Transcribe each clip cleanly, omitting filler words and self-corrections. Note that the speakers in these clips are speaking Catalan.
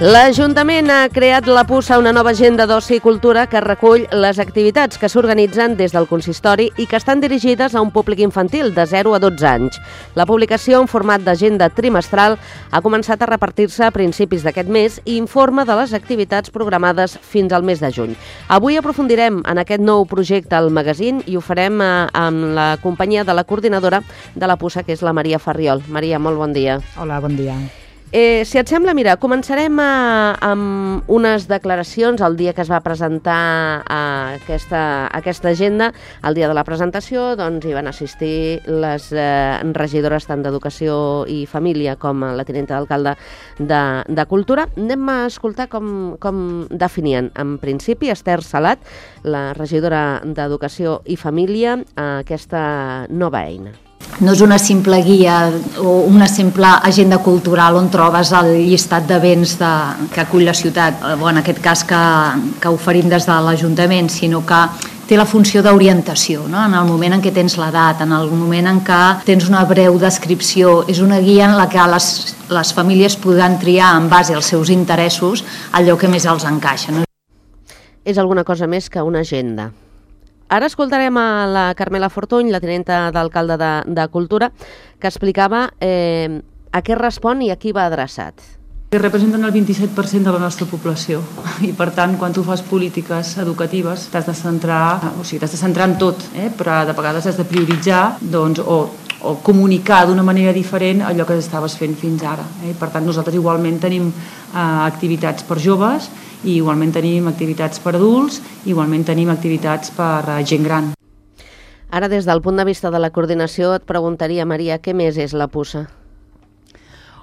L'Ajuntament ha creat la Puça, una nova agenda d'oci i cultura que recull les activitats que s'organitzen des del consistori i que estan dirigides a un públic infantil de 0 a 12 anys. La publicació en format d'agenda trimestral ha començat a repartir-se a principis d'aquest mes i informa de les activitats programades fins al mes de juny. Avui aprofundirem en aquest nou projecte al magazín i ho farem amb la companyia de la coordinadora de la Puça, que és la Maria Farriol. Maria, molt bon dia. Hola, bon dia. Si et sembla, mira, començarem amb unes declaracions el dia que es va presentar aquesta agenda. El dia de la presentació hi van assistir les regidores tant d'Educació i Família com la tinenta d'alcalde de Cultura. Anem a escoltar com definien. En principi, Esther Salat, la regidora d'Educació i Família, aquesta nova eina. No és una simple guia o una simple agenda cultural on trobes el llistat de béns que acull la ciutat, en aquest cas que oferim des de l'Ajuntament, sinó que té la funció d'orientació, no? En el moment en què tens l'edat, en el moment en què tens una breu descripció. És una guia en la que les famílies podran triar en base als seus interessos allò que més els encaixa. No? És alguna cosa més que una agenda. Ara escoltarem a la Carmela Fortuny, la tinenta d'alcalde de Cultura, que explicava a què respon i a qui va adreçat. Representen el 27% de la nostra població i, per tant, quan tu fas polítiques educatives t'has de centrar en tot, però de vegades has de prioritzar o comunicar d'una manera diferent allò que estaves fent fins ara. Per tant, nosaltres igualment tenim activitats per joves, i igualment tenim activitats per adults, igualment tenim activitats per gent gran. Ara, des del punt de vista de la coordinació, et preguntaria, Maria, què més és la Puça?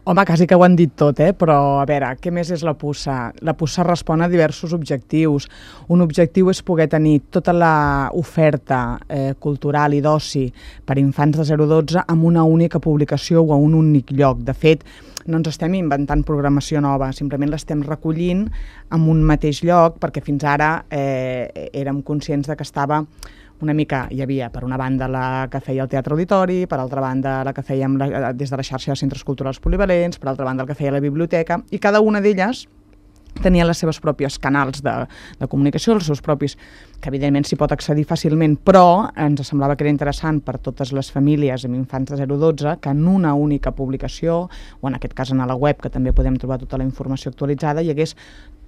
Home, quasi que ho han dit tot, però a veure, què més és la Puça? La Puça respon a diversos objectius. Un objectiu és poder tenir tota l'oferta cultural i d'oci per infants de 0 a 12 amb una única publicació o a un únic lloc. De fet, no ens estem inventant programació nova, simplement l'estem recollint en un mateix lloc, perquè fins ara érem conscients de que estava una mica, hi havia per una banda la que feia el Teatre Auditori, per altra banda la que fèiem des de la xarxa de centres culturals polivalents, per altra banda el que feia la biblioteca, i cada una d'elles tenia les seves pròpies canals de comunicació, els seus propis, que evidentment s'hi pot accedir fàcilment, però ens semblava que era interessant per totes les famílies amb infants de 0 a 12 que en una única publicació, o en aquest cas a la web, que també podem trobar tota la informació actualitzada, hi hagués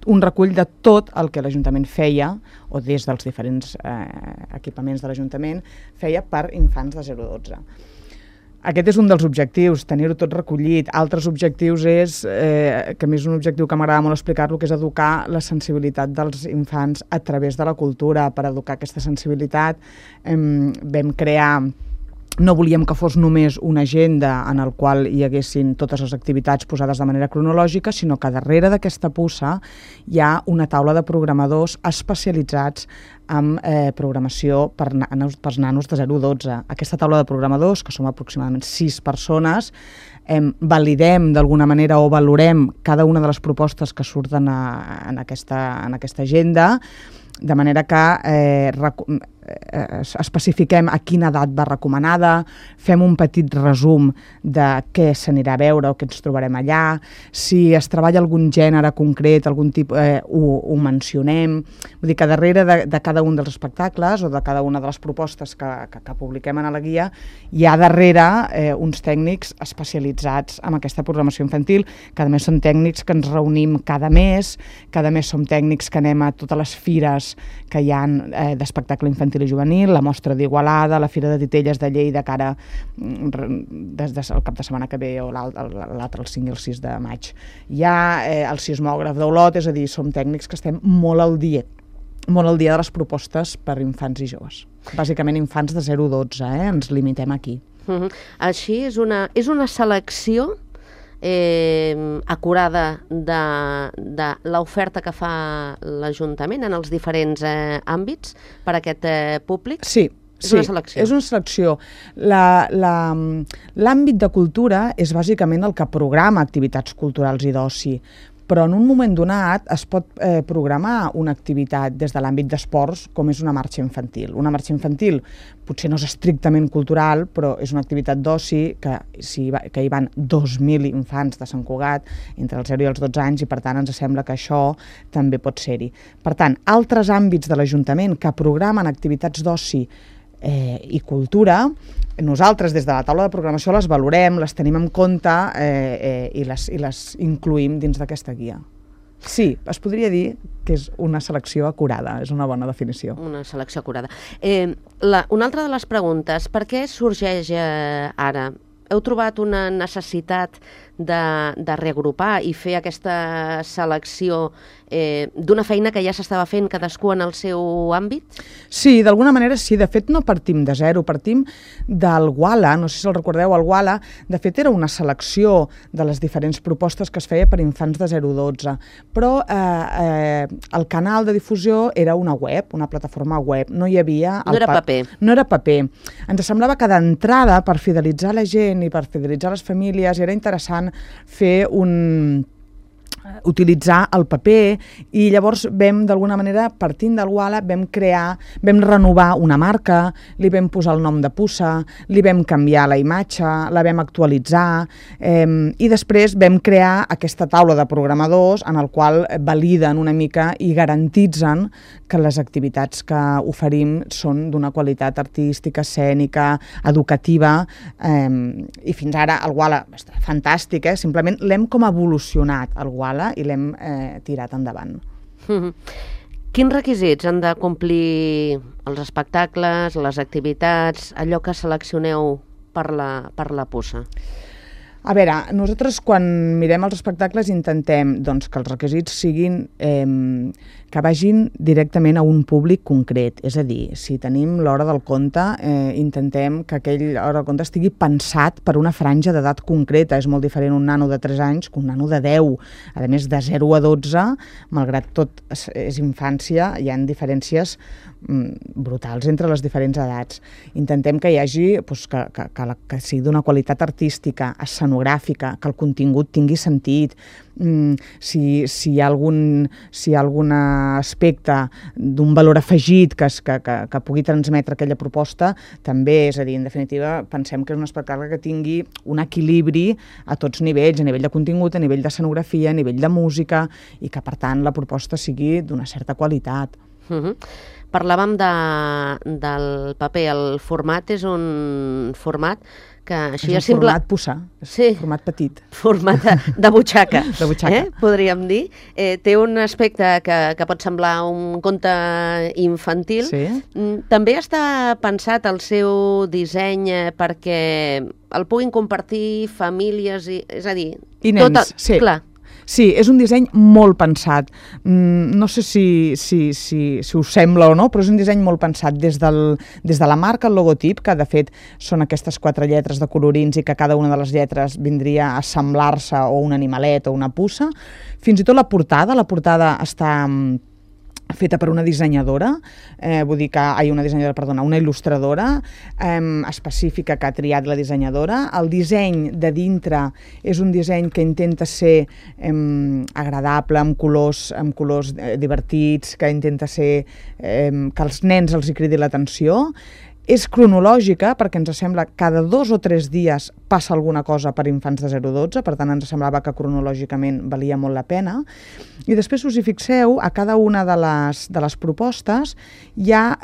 un recull de tot el que l'Ajuntament feia, o des dels diferents equipaments de l'Ajuntament, feia per infants de 0 a 12. Aquest és un dels objectius, tenir-ho tot recollit. Altres objectius és, que a més és un objectiu que m'agrada molt explicar-lo, que és educar la sensibilitat dels infants a través de la cultura. Per educar aquesta sensibilitat vam crear... No volíem que fos només una agenda en el qual hi haguessin totes les activitats posades de manera cronològica, sinó que darrere d'aquesta Puça hi ha una taula de programadors especialitzats en programació per nanos de 0 a 12. Aquesta taula de programadors, que som aproximadament 6 persones, validem d'alguna manera o valorem cada una de les propostes que surten en aquesta agenda, de manera que especifiquem a quina edat va recomanada, fem un petit resum de què s'anirà a veure o què ens trobarem allà, si es treballa algun gènere concret, algun tipus, ho mencionem. Vull dir que darrere de cada un dels espectacles o de cada una de les propostes que publiquem a la guia hi ha darrere uns tècnics especialitzats en aquesta programació infantil, que a més són tècnics que ens reunim cada mes som tècnics que anem a totes les fires que hi ha d'espectacle infantil i juvenil, la mostra d'Igualada, la Fira de Titelles de Lleida, que ara des del cap de setmana que ve o l'altre, el 5 i el 6 de maig. Hi ha el sismògraf d'Olot, és a dir, som tècnics que estem molt al dia de les propostes per infants i joves. Bàsicament infants de 0 a 12, ens limitem aquí. Així és una selecció acurada de l'oferta que fa l'Ajuntament en els diferents àmbits per a aquest públic? Sí. És una selecció. És una selecció. L'àmbit de cultura és bàsicament el que programa activitats culturals i d'oci, però en un moment donat es pot programar una activitat des de l'àmbit d'esports com és una marxa infantil. Una marxa infantil potser no és estrictament cultural, però és una activitat d'oci que hi van 2.000 infants de Sant Cugat entre els 0 i els 12 anys i per tant ens sembla que això també pot ser-hi. Per tant, altres àmbits de l'Ajuntament que programen activitats d'oci i cultura, nosaltres des de la taula de programació les valorem, les tenim en compte i les incluïm dins d'aquesta guia. Sí, es podria dir que és una selecció acurada, és una bona definició. Una selecció acurada. Una altra de les preguntes, per què sorgeix ara? Heu trobat una necessitat de reagrupar i fer aquesta selecció d'una feina que ja s'estava fent cadascú en el seu àmbit? Sí, d'alguna manera sí. De fet, no partim de zero, partim del WALA. No sé si el recordeu, el WALA, de fet, era una selecció de les diferents propostes que es feia per infants de 0 a 12. Però el canal de difusió era una web, una plataforma web. No hi havia... No era paper. No era paper. Ens semblava que d'entrada, per fidelitzar la gent i per fidelitzar les famílies, era interessant utilitzar el paper i llavors vam, d'alguna manera, partint del WALA, vam renovar una marca, li vam posar el nom de puça, li vam canviar la imatge, la vam actualitzar i després vam crear aquesta taula de programadors en el qual validen una mica i garantitzen que les activitats que oferim són d'una qualitat artística, escènica, educativa i fins ara el WALA està fantàstic, simplement l'hem com evolucionat el WALA i l'hem tirat endavant. Quins requisits han de complir els espectacles, les activitats, allò que seleccioneu per la puça? A veure, nosaltres quan mirem els espectacles intentem que els requisits siguin que vagin directament a un públic concret. És a dir, si tenim l'hora del conte, intentem que aquell hora del conte estigui pensat per una franja d'edat concreta. És molt diferent un nano de 3 anys que un nano de 10. A més, de 0 a 12, malgrat tot és infància, hi ha diferències brutals entre les diferents edats. Intentem que hi hagi que sigui d'una qualitat artística, escenogràfica, que el contingut tingui sentit. Si hi ha algun aspecte d'un valor afegit que pugui transmetre aquella proposta, també, és a dir, en definitiva, pensem que és un espectacle que tingui un equilibri a tots nivells, a nivell de contingut, a nivell d'escenografia, a nivell de música, i que, per tant, la proposta sigui d'una certa qualitat. Parlàvem del paper. El format és un format que així és un format puça, és format petit. Format de butxaca, de butxaca. Podríem dir. Té un aspecte que pot semblar un conte infantil. Sí. També està pensat el seu disseny perquè el puguin compartir famílies, és a dir... I nens, sí. Clar. Sí, és un disseny molt pensat. No sé si us sembla o no, però és un disseny molt pensat des de la marca, el logotip, que de fet són aquestes 4 lletres de colorins i que cada una de les lletres vindria a semblar-se o un animalet o una puça. Fins i tot la portada està feta per una dissenyadora, una il·lustradora específica que ha triat la dissenyadora. El disseny de dintre és un disseny que intenta ser agradable, amb colors divertits, que intenta ser que als nens els hi cridi l'atenció. És cronològica perquè ens sembla que cada 2 o 3 dies passa alguna cosa per infants de 0 a 12, per tant ens semblava que cronològicament valia molt la pena. I després, si us hi fixeu, a cada una de les propostes hi ha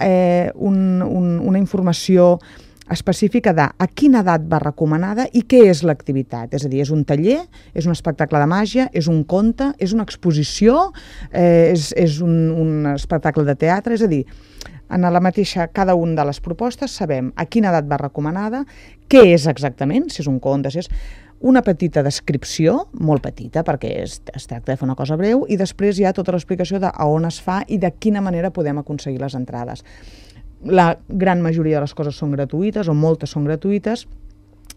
una informació específica de a quina edat va recomanada i què és l'activitat. És a dir, és un taller, és un espectacle de màgia, és un conte, és una exposició, és un espectacle de teatre, és a dir, en la mateixa, cada una de les propostes sabem a quina edat va recomanada, què és exactament, si és un conte, si és una petita descripció, molt petita, perquè es tracta de fer una cosa breu, i després hi ha tota l'explicació de a on es fa i de quina manera podem aconseguir les entrades. La gran majoria de les coses són gratuïtes, o moltes són gratuïtes,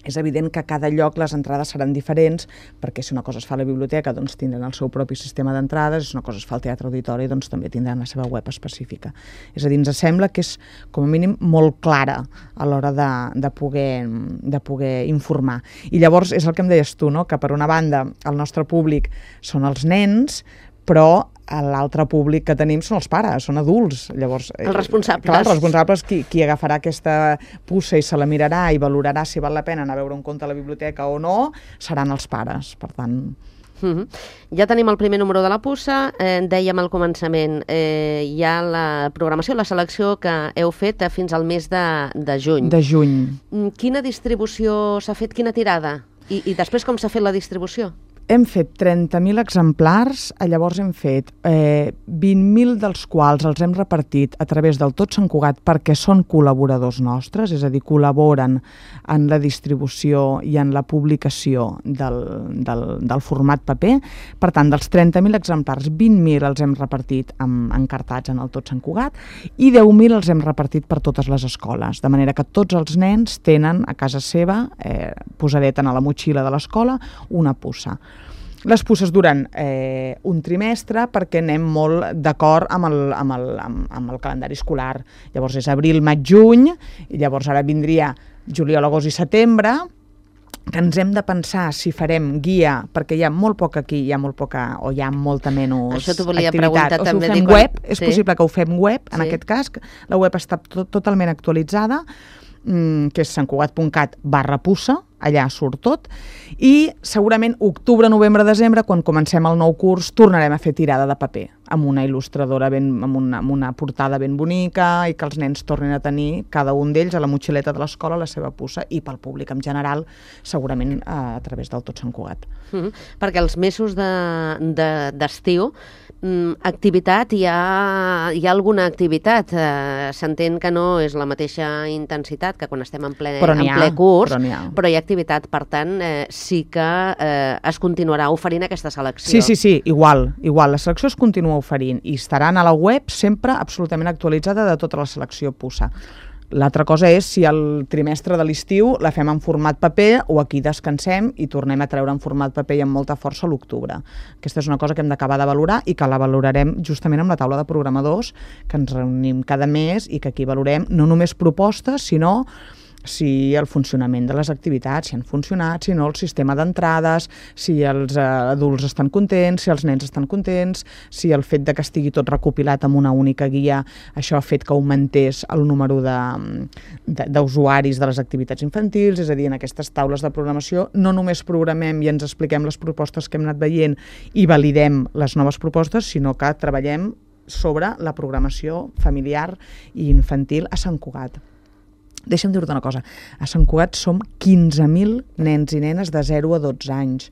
És evident que a cada lloc les entrades seran diferents, perquè si una cosa es fa a la biblioteca doncs tindran el seu propi sistema d'entrades, si una cosa es fa al Teatre Auditori doncs també tindran la seva web específica. És a dir, ens sembla que és com a mínim molt clara a l'hora de poder informar. I llavors és el que em deies tu, no? Que per una banda el nostre públic són els nens, però l'altre públic que tenim són els pares, són adults. Llavors, els responsables. Clar, els responsables, qui agafarà aquesta puça i se la mirarà i valorarà si val la pena anar a veure un conte a la biblioteca o no, seran els pares. Per tant... Ja tenim el primer número de la puça, dèiem al començament, hi ha la programació, la selecció que heu fet fins al mes de juny. De juny. Quina distribució s'ha fet, quina tirada? I després com s'ha fet la distribució? Hem fet 30.000 exemplars, llavors hem fet 20.000 dels quals els hem repartit a través del Tot Sant Cugat perquè són col·laboradors nostres, és a dir, col·laboren en la distribució i en la publicació del format paper. Per tant, dels 30.000 exemplars, 20.000 els hem repartit encartats en el Tot Sant Cugat i 10.000 els hem repartit per totes les escoles, de manera que tots els nens tenen a casa seva, posadeta a la motxilla de l'escola, una puça. Les puces duren un trimestre perquè anem molt d'acord amb el calendari escolar. Llavors és abril, maig, juny, i llavors ara vindria juliol, agost i setembre, que ens hem de pensar si farem guia, perquè hi ha molt poc aquí, hi ha molt poca, o hi ha molta menys això t'ho volia activitat. preguntar o també. Si ho fem web, és possible que ho fem web, en aquest cas, la web està totalment actualitzada, que és santcugat.cat/puça, allà surt tot, i segurament octubre, novembre, desembre, quan comencem el nou curs, tornarem a fer tirada de paper, amb una il·lustradora, amb una portada ben bonica, i que els nens tornin a tenir, cada un d'ells, a la motxileta de l'escola, la seva puça, i pel públic en general, segurament a través del Tot Sant Cugat. Perquè els mesos d'estiu, activitat, hi ha alguna activitat. S'entén que no és la mateixa intensitat que quan estem en ple curs, però hi ha activitat. Per tant, sí que es continuarà oferint aquesta selecció. Sí, igual. La selecció es continua oferint i estaran a la web sempre absolutament actualitzada de tota la selecció puça. L'altra cosa és si el trimestre de l'estiu la fem en format paper o aquí descansem i tornem a treure en format paper i amb molta força a l'octubre. Aquesta és una cosa que hem d'acabar de valorar i que la valorarem justament amb la taula de programadors, que ens reunim cada mes i que aquí valorem no només propostes, sinó si el funcionament de les activitats, si han funcionat, si no el sistema d'entrades, si els adults estan contents, si els nens estan contents, si el fet de que estigui tot recopilat en una única guia, això ha fet que augmentés el número d'usuaris de les activitats infantils. És a dir, en aquestes taules de programació no només programem i ens expliquem les propostes que hem anat veient i validem les noves propostes, sinó que treballem sobre la programació familiar i infantil a Sant Cugat. Deixa'm dir-te una cosa, a Sant Cugat som 15.000 nens i nenes de 0 a 12 anys.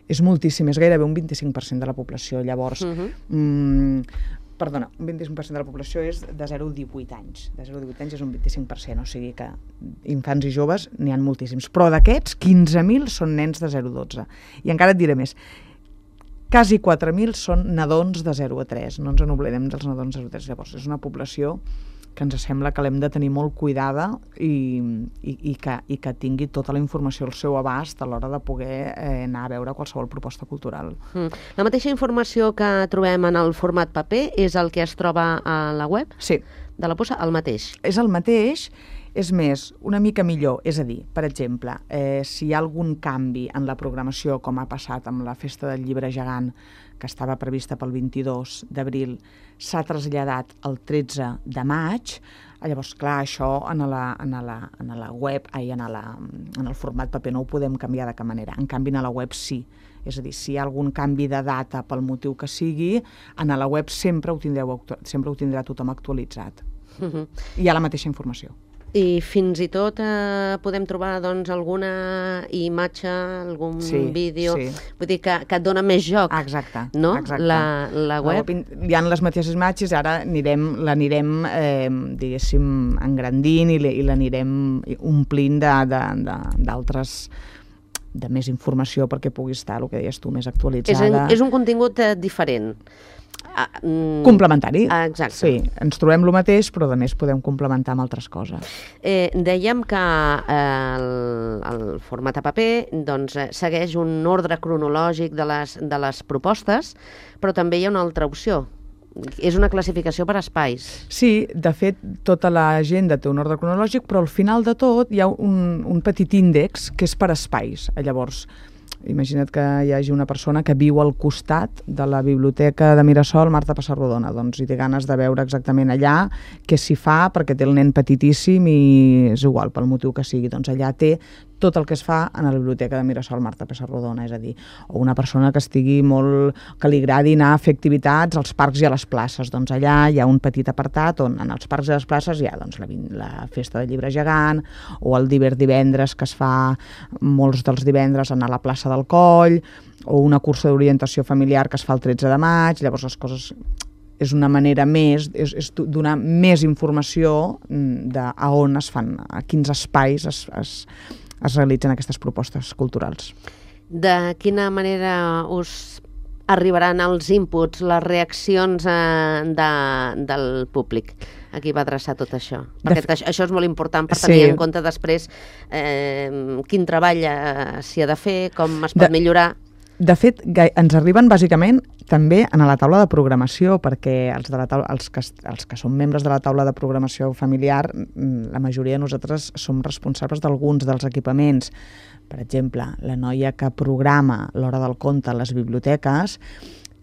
És moltíssim, és gairebé un 25% de la població. Llavors, perdona, un 25% de la població és de 0 a 18 anys. De 0 a 18 anys és un 25%, o sigui que infants i joves n'hi ha moltíssims. Però d'aquests, 15.000 són nens de 0 a 12. I encara et diré més, quasi 4.000 són nadons de 0 a 3. No ens n'oblidem dels nadons de 0 a 3. Llavors, és una població que ens sembla que l'hem de tenir molt cuidada i que tingui tota la informació al seu abast a l'hora de poder anar a veure qualsevol proposta cultural. La mateixa informació que trobem en el format paper és el que es troba a la web? Sí. De la puça, el mateix? És el mateix, és més, una mica millor. És a dir, per exemple, si hi ha algun canvi en la programació, com ha passat amb la Festa del Llibre Gegant, que estava prevista pel 22 d'abril, s'ha traslladat el 13 de maig. Llavors, clar, això en la web, en el format paper no ho podem canviar de cap manera. En canvi, a la web sí. És a dir, si hi ha algun canvi de data pel motiu que sigui, a la web sempre ho tindrà tothom actualitzat. Hi ha la mateixa informació. I fins i tot podem trobar alguna imatge, algun vídeo, vull dir que et dona més joc. Exacte. No? La web. Hi ha les mateixes imatges, ara l'anirem, diguéssim, engrandint i l'anirem omplint d'altres, de més informació perquè pugui estar, el que deies tu, més actualitzada. És un contingut diferent. Complementari. Exacte. Sí, ens trobem el mateix, però a més podem complementar amb altres coses. Dèiem que el format a paper doncs, segueix un ordre cronològic de les propostes, però també hi ha una altra opció. És una classificació per espais. Sí, de fet, tota l'agenda té un ordre cronològic, però al final de tot hi ha un petit índex que és per espais. Llavors, imagina't que hi hagi una persona que viu al costat de la biblioteca de Mirasol Marta Pessarrodona, doncs i té ganes de veure exactament allà què s'hi fa, perquè té el nen petitíssim i és igual, pel motiu que sigui, doncs allà té tot el que es fa a la biblioteca de Mirasol Marta Pessarrodona, és a dir, o una persona que que li agradi anar a fer activitats als parcs i a les places, doncs allà hi ha un petit apartat on en els parcs i les places hi ha doncs, la festa del llibre gegant, o el divendres que es fa molts dels divendres anar a la plaça del Coll, o una cursa d'orientació familiar que es fa el 13 de maig, llavors les coses és una manera més, és donar més informació a on es fan, a quins espais es realitzen aquestes propostes culturals. De quina manera us arribaran els inputs, les reaccions del públic? A qui va adreçar tot això? Perquè això és molt important per tenir en compte després quin treball s'hi ha de fer, com es pot millorar. De fet, ens arriben bàsicament també a la taula de programació, perquè els que som membres de la taula de programació familiar, la majoria de nosaltres som responsables d'alguns dels equipaments. Per exemple, la noia que programa l'Hora del Conte a les biblioteques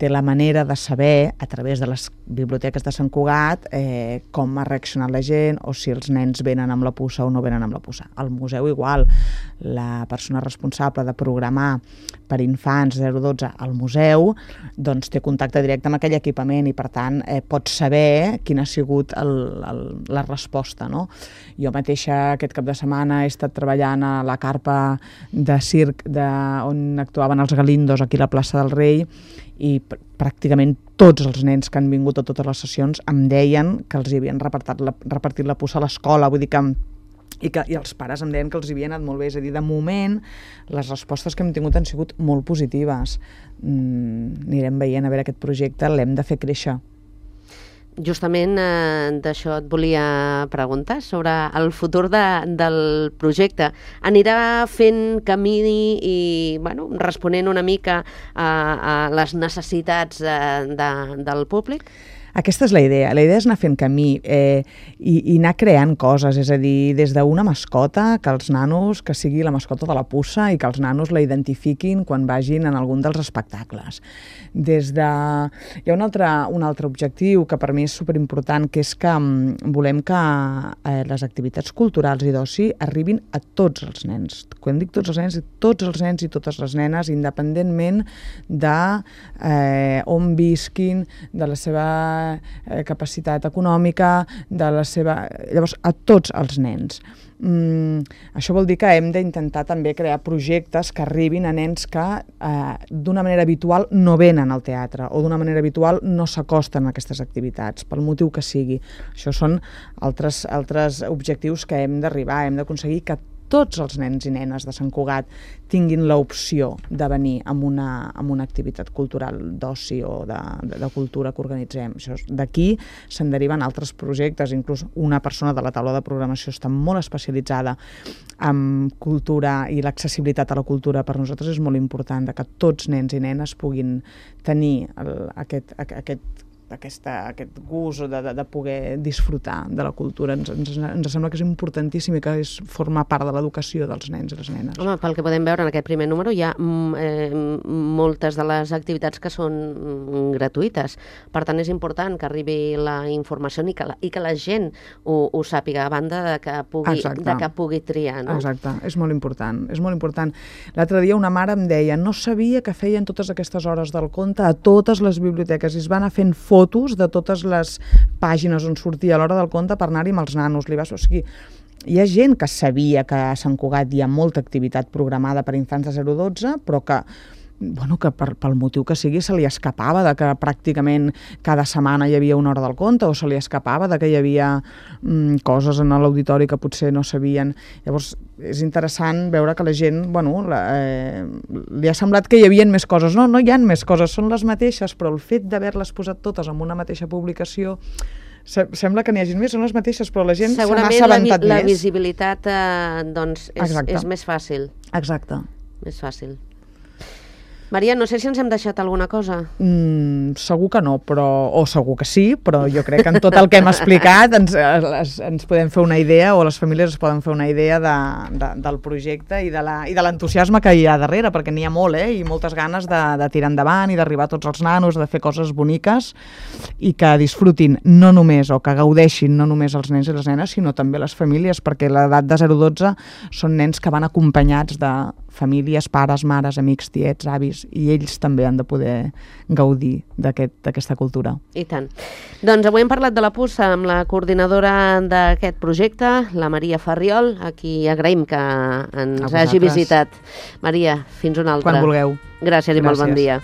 té la manera de saber, a través de les biblioteques de Sant Cugat, com ha reaccionat la gent o si els nens venen amb la puça o no venen amb la puça. Al museu igual, la persona responsable de programar per infants 0-12 al museu doncs té contacte directe amb aquell equipament i per tant pot saber quina ha sigut la resposta. No? Jo mateixa aquest cap de setmana he estat treballant a la carpa de circ on actuaven els Galindos aquí a la plaça del Rei i pràcticament tots els nens que han vingut a totes les sessions em deien que els hi havien repartit la puça a l'escola, vull dir que i els pares em deien que els hi havia anat molt bé, és a dir, de moment les respostes que hem tingut han sigut molt positives. Anirem veient, a veure, aquest projecte l'hem de fer créixer. Justament d'això et volia preguntar, sobre el futur del projecte. Anirà fent camí i responent una mica a les necessitats del públic? Aquesta és la idea. La idea és anar fent camí i anar creant coses, és a dir, des d'una mascota, que els nanos, que sigui la mascota de la puça i que els nanos la identifiquin quan vagin en algun dels espectacles. Hi ha un altre objectiu que per mi és superimportant, que és que volem que les activitats culturals i d'oci arribin a tots els nens. Quan dic tots els nens i totes les nenes, independentment d'on visquin, de la seva capacitat econòmica, llavors a tots els nens. Això vol dir que hem d'intentar també crear projectes que arribin a nens que d'una manera habitual no venen al teatre o d'una manera habitual no s'acosten a aquestes activitats, pel motiu que sigui. Això són altres objectius que hem d'arribar, hem d'aconseguir que tots els nens i nenes de Sant Cugat tinguin l'opció de venir amb una activitat cultural d'oci o de cultura que organitzem. D'aquí se'n deriven altres projectes, inclús una persona de la taula de programació està molt especialitzada en cultura i l'accessibilitat a la cultura per nosaltres és molt important, que tots nens i nenes puguin tenir aquest gust de poder disfrutar de la cultura. Ens sembla que és importantíssim i que forma part de l'educació dels nens i les nenes. Home, pel que podem veure en aquest primer número hi ha moltes de les activitats que són gratuïtes. Per tant, és important que arribi la informació i que la gent ho sàpiga, a banda de que pugui triar. No? Exacte, és molt important. L'altre dia una mare em deia no sabia que feien totes aquestes hores del conte a totes les biblioteques i es van anar fent fotos de totes les pàgines on sortia a l'Hora del Conte per anar-hi amb els nanos. O sigui, hi ha gent que sabia que a Sant Cugat hi ha molta activitat programada per infants de 0-12, però que que pel motiu que sigui se li escapava de que pràcticament cada setmana hi havia una hora del conte, o se li escapava de que hi havia coses en l'auditori que potser no sabien. Llavors és interessant veure que la gent, li ha semblat que hi havia més coses. No hi ha més coses, són les mateixes, però el fet d'haver-les posat totes en una mateixa publicació sembla que n'hi hagi més, són les mateixes, però la gent se n'ha assabentat més. Segurament la visibilitat és més fàcil. Exacte. Més fàcil. Maria, no sé si ens hem deixat alguna cosa. Segur que no, o segur que sí, però jo crec que en tot el que hem explicat ens podem fer una idea, o les famílies es poden fer una idea del projecte i de l'entusiasme que hi ha darrere, perquè n'hi ha molt, i moltes ganes de tirar endavant i d'arribar a tots els nanos, de fer coses boniques i que disfrutin no només, o que gaudeixin no només els nens i les nenes, sinó també les famílies, perquè l'edat de 0-12 són nens que van acompanyats de famílies, pares, mares, amics, tiets, avis, i ells també han de poder gaudir d'aquesta cultura. I tant. Doncs avui hem parlat de la puça amb la coordinadora d'aquest projecte, la Maria Farriol, a qui agraïm que ens hagi visitat. Maria, fins una altra. Quan vulgueu. Gràcies i molt bon dia.